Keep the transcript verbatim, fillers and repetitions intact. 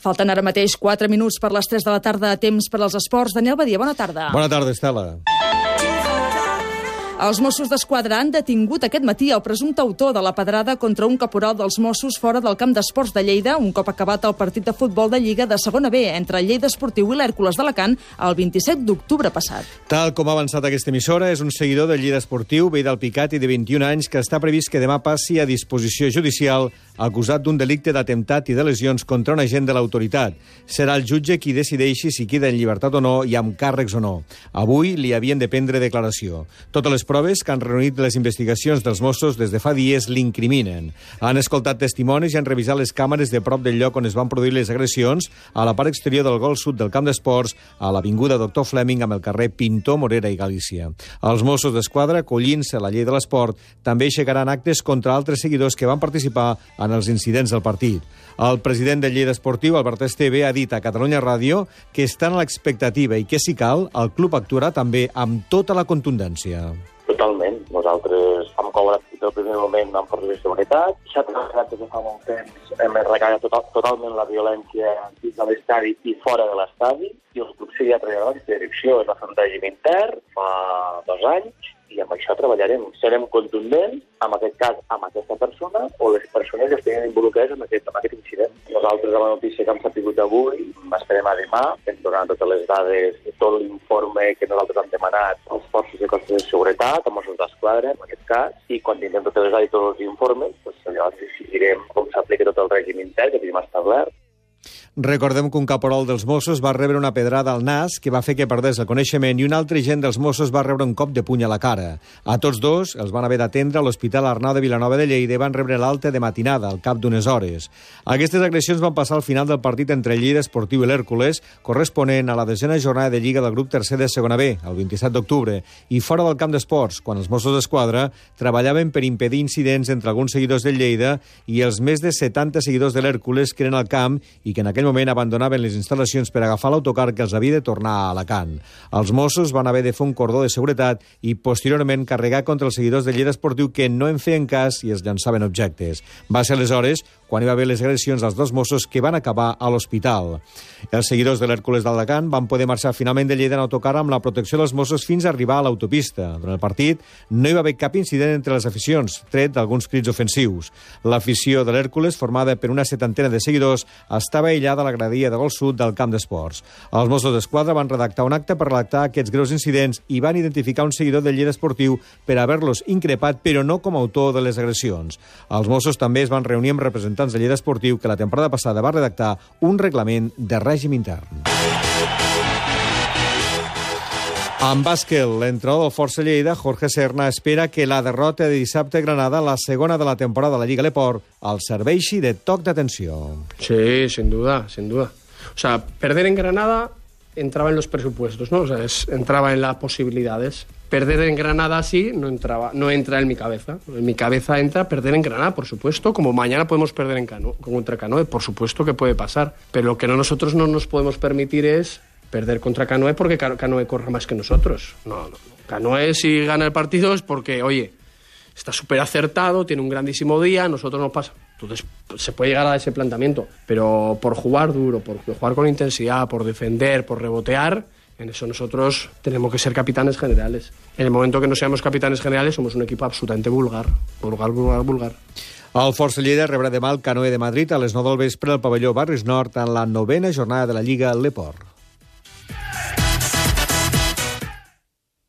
Falten ara mateix quatre minuts per les tres de la tarda a temps per als esports. Daniel Badia, bona tarda. Bona tarda, Estela. Els Mossos d'Esquadra han detingut aquest matí el presumpte autor de la pedrada contra un caporal dels Mossos fora del camp d'esports de Lleida, un cop acabat el partit de futbol de Lliga de segona B entre el Lleida Esportiu i l'Hèrcules d'Alacant el vint-i-set d'octubre passat. Tal com ha avançat aquesta emissora, és un seguidor del Lleida Esportiu, veí d'Alpicat i de vint-i-un anys, que està previst que demà passi a disposició judicial acusat d'un delicte d'atemptat i de lesions contra un agent de l'autoritat. Serà el jutge qui decideixi si queda en llibertat o no i amb càrrecs o no. Avui li havien de prendre declaració. Totes les proves que han reunit les investigacions dels Mossos des de fa dies l'incriminen. Han escoltat testimonis i han revisat les càmeres de prop del lloc on es van produir les agressions, a la part exterior del gol sud del camp d'esports, a l'avinguda Doctor Fleming amb el carrer Pintor, Morera i Galícia. Els Mossos d'Esquadra, acollint-se a la llei de l'esport, també aixecaran actes contra altres seguidors que van participar en els incidents del partit. El president del Lleida Esportiu, Albert Esteve, ha dit a Catalunya Ràdio que estan a l'expectativa i que, si cal, el club actuarà també amb tota la contundència. Totalment. Nosaltres hem cobrat des del primer moment amb forces de seguretat. S'ha treballat des de fa molt temps. Hem recarregat total, totalment la violència dins de l'estadi i fora de l'estadi. I el club seguirà treballant en aquesta direcció. Es va fer un règim intern fa dos anys i amb això treballarem. Serem contundents, en aquest cas, amb aquesta persona o les persones que estiguin involucrades en aquest, en aquest incident. Nosaltres, amb la notícia que hem sabut avui, esperem a demà, ens donaran totes les dades, tot l'informe que nosaltres hem demanat als forces de cossos de seguretat, als Mossos d'Esquadra, en aquest cas, i quan tinguem totes les dades i tots els informes, doncs llavors decidirem com s'aplica tot el règim intern que tenim establert. Recordem que un caporal dels Mossos va rebre una pedrada al nas que va fer que perdés el coneixement i un altre agent dels Mossos va rebre un cop de puny a la cara. A tots dos els van haver d'atendre a l'Hospital Arnau de Vilanova de Lleida i van rebre l'alta de matinada al cap d'unes hores. Aquestes agressions van passar al final del partit entre el Lleida Esportiu i l'Hèrcules, corresponent a la desena jornada de Lliga del grup tercer de segona B, el vint-i-set d'octubre, i fora del camp d'esports, quan els Mossos d'Esquadra treballaven per impedir incidents entre alguns seguidors del Lleida i els més de setanta seguidors de l'Hèrcules que eren al camp i que en aquell moment abandonaven les instal·lacions per agafar l'autocar que els havia de tornar a Alacant. Els Mossos van haver de fer un cordó de seguretat i posteriorment carregar contra els seguidors del Lleida Esportiu que no en feien cas i es llançaven objectes. Va ser aleshores quan hi va haver les agressions als dos Mossos que van acabar a l'hospital. Els seguidors de l'Hèrcules d'Alacant van poder marxar finalment de Lleida en autocar amb la protecció dels Mossos fins a arribar a l'autopista. Durant el partit no hi va haver cap incident entre les aficions, tret d'alguns crits ofensius. L'afició de l'Hèrcules, formada per una setantena de seguidors, estava aïllada a la graderia de gol sud del camp d'esports. Els Mossos d'Esquadra van redactar un acte per redactar aquests greus incidents i van identificar un seguidor del Lleida Esportiu per haver-los increpat, però no com a autor de les agressions. Els Mossos també es van reunir amb representants del Lleida Esportiu que la temporada passada va redactar un reglament de règim intern. En bàsquet, l'entrenador del Força Lleida, Jorge Serna, espera que la derrota de dissabte a Granada, la segona de la temporada de la Lliga Leport, el serveixi de toc d'atenció. Sí, sin duda, sin duda. O sea, perder en Granada entraba en los presupuestos, ¿no? O sea, es, entraba en las posibilidades. Perder en Granada sí, no entraba, no entra en mi cabeza. En mi cabeza entra perder en Granada, por supuesto, como mañana podemos perder en Cano, contra Canoe, por supuesto que puede pasar. Pero lo que no, nosotros no nos podemos permitir es perder contra Canoe porque Canoe corra más que nosotros. No, no. Canoe, si gana el partido es porque, oye, está súper acertado, tiene un grandísimo día, nosotros nos pasa. Entonces se puede llegar a ese planteamiento, pero por jugar duro, por jugar con intensidad, por defender, por rebotear, en eso nosotros tenemos que ser capitanes generales. En el momento que no seamos capitanes generales somos un equipo absolutamente vulgar, vulgar, vulgar, vulgar. El Força Lleida rebrà demà el Canoe de Madrid a les nou del vespre al pavelló Barris Nord en la novena jornada de la Lliga Leport.